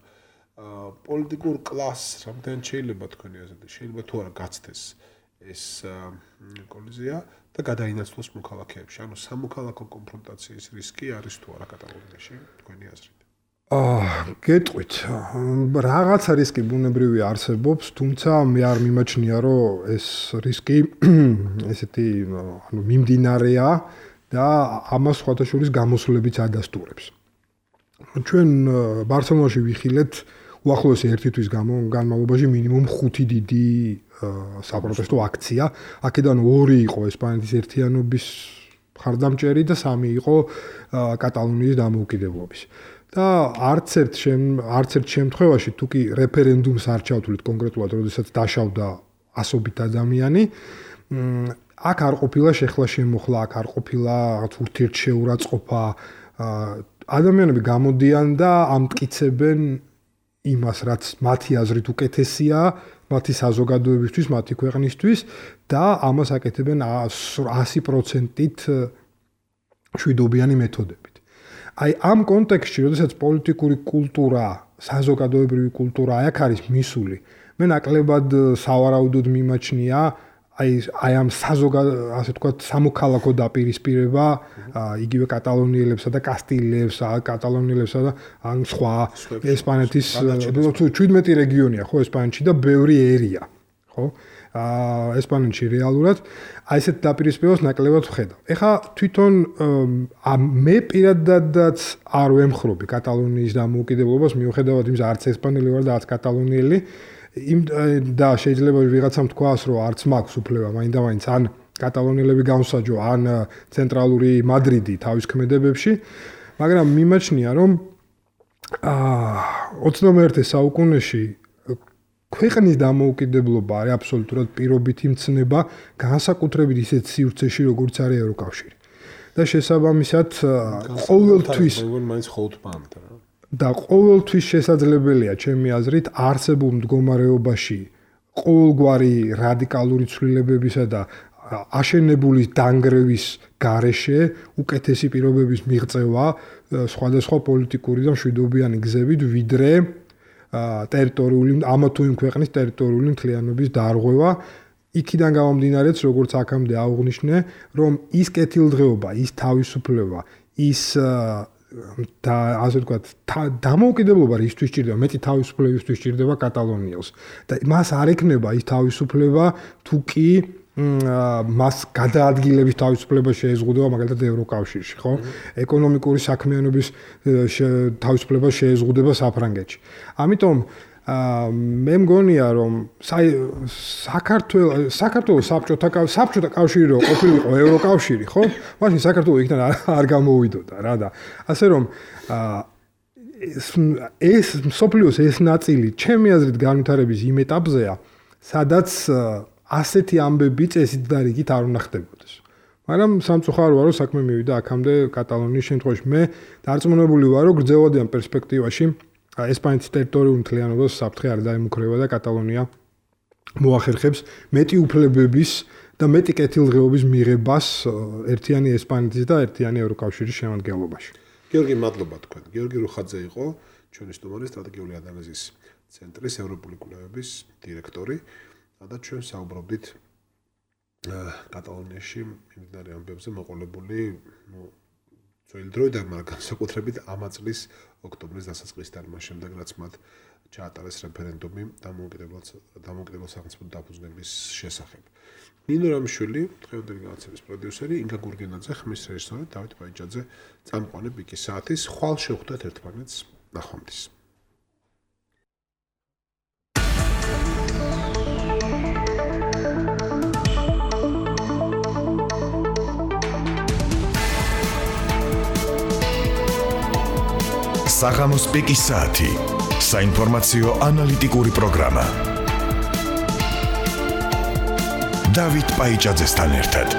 პოლიტიკურ კლასს რამდენ შეიძლება თქვენი აზრით, შეიძლება თუ არა გაცდეს ეს კოლიზია და გადაინაცვლოს მოქალაქეებში. ანუ სამოქალაქო კონფრონტაციის რისკი არის თუ არა კატალონიაში, თქვენი აზრით? გეტყვით, რაღაცა რისკი ბუნებრივი არსებობს, თუმცა მე არ მიმაჩნია, რომ ეს რისკი ესეთი ანუ მიმდინარეა და ამას სხვათა შორის გამოსვლებიც ადასტურებს. ჩვენ ბარსელონაში ვიხილეთ უახლოესი 1 თვის განმავლობაში მინიმუმ 5 დიდი საპროტესტო აქცია. აქედან 2 იყო ესპანეთის ერთიანობის მხარდამჭერი და 3 იყო კატალონიის დამოუკიდებლობის. და არც ერთ შემთხვევაში თუ კი რეფერენდუმს არ ჩავთვლით კონკრეტულად, როდესაც დაშავდა ასობით ადამიანი, აქ არ ყოფილა შეხლა შემოხლა, აქ არ ყოფილა ურთიერთშეურაცხყოფა. ადამიანები გამოდიან და ამტკიცებენ იმას, რაც მათი აზრით უკეთესია, მათი საზოგადოებისთვის, მათი ქვეყნისთვის და ამას აკეთებენ 100%-ით შვიდობიანი მეთოდებით. აი ამ კონტექსტში, როდესაც პოლიტიკური კულტურა, საზოგადოებრივი კულტურა აქ არის მისული, მე ნაკლებად სავარაუდოდ მიმაჩნია აი ამ ასე ვთქვათ სამოქალაქო დაპირისპირება იგივე კატალონიელებსა და კასტილიელებსა, კატალონიელებსა და ან სხვა ესპანეთის 17 რეგიონია ხო ესპანეთში და ბევრი ერია, ხო? ესპანეთში რეალურად აი ესეთ დაპირისპირებას ნაკლებად ვხედავ. ეხლა თვითონ მე პირადადაც არ ვემხრობი კატალონიის დამოუკიდებლობას, მიუხედავად იმისა, არც ესპანელი ვარ და არც კატალონიელი, და შეიძლება ვიღაცამ თქვას, რომ არც მაქვს უფლება მაინდა-მაინც ან კატალონიელები განსაჯო, ან ცენტრალური მადრიდი თავის ქმედებებში, მაგრამ მიმაჩნია, რომ 21 საუკუნეში ქვეყნის დამოუკიდებლობა არის აბსოლუტურად პირობითი მცნება, განსაკუთრებით ისეთ სივრცეში, როგორც არის ევროკავშირი. და შესაბამისად, ყოველთვის და ყოველთვის შესაძლებელია, ჩემი აზრით, არსებულ მდგომარეობაში ყოველგვარი რადიკალური ცვლილებებისა და აშენებული დანგრევის გარეშე უკეთესი პირობების მიღწევა სხვადასხვა პოლიტიკური და მშვიდობიანი გზებით, ვიდრე ტერიტორიული ამა თუ იმ ქვეყნის ტერიტორიული მთლიანობის დარღვევა, იქიდან გამომდინარეც, როგორც აქამდე აღვნიშნე, რომ ის კეთილდღეობა, ის თავისუფლება, ის და ასე ვთქვათ, დამოუკიდებლობა რისთვის ჭირდება, მეტი თავისუფლებისთვის ჭირდება კატალონიელს. და მას არ ექნება ის თავისუფლება, თუ კი მას გადაადგილების თავისუფლება შეეზღუდება მაგალითად ევროკავშირში, ხო? ეკონომიკური საქმიანობის თავისუფლება შეეზღუდება საფრანგეთში. ამიტომ მე მგონია რომ საქართველოს საბჭოთა კავშირი რო ყოფილიყო ევროკავშირი, ხო? მაშინ საქართველოს იქიდან არ გამოვიდოდა რა და ასე რომ ეს სოფლიოს ეს ნაწილი ჩემი აზრით განვითარების იმ ეტაპზეა, სადაც ასეთი ამბები წესით და რიგით არ უნდა ხდებოდეს. მაგრამ სამწუხაროა რომ საქმე მივიდა აქამდე კატალონიის შემთხვევაში. მე დარწმუნებული ვარ რომ გრძელვადიან პერსპექტივაში ესპანეთის ტერიტორიულ მთლიანობას საფრთხე არ დაემუქრება და კატალონია მოახერხებს მეტი უფლებების და მეტი კეთილდღეობის მიღებას ერთიანი ესპანეთის და ერთიანი ევროკავშირის შემადგენლობაში. გიორგი, მადლობა თქვენ. გიორგი რუხაძე იყო ჩვენი სტუმარი, სტრატეგიული ანალიზის ცენტრის ევროპული კვლევების დირექტორი და ჩვენ საუბრობდით კატალონიაში მიმდინარე ამბებზე მოყოლებული ძველი დროიდან, მაგრამ განსაკუთრებით ამა წლის ოქტომბრის დასაწყისიდან, მას შემდეგ რაც მათ ჩაატარეს რეფერენდუმი დამოუკიდებელ სახელმწიფო დაფუძნების შესახებ. ნინო რამიშვილი, დღევანდელი განაცემის პროდიუსერი, ინგა გურგენაძე, ხმის რეჟისორი დავით ბაიჭაძე, წამყვანი პიკის საათის. ხვალ შევხვდეთ ერთმანეთს. ნახვამდის. საღამოს პიკის საათი. საინფორმაციო ანალიტიკური პროგრამა. დავით ბაიჭაძესთან ერთად.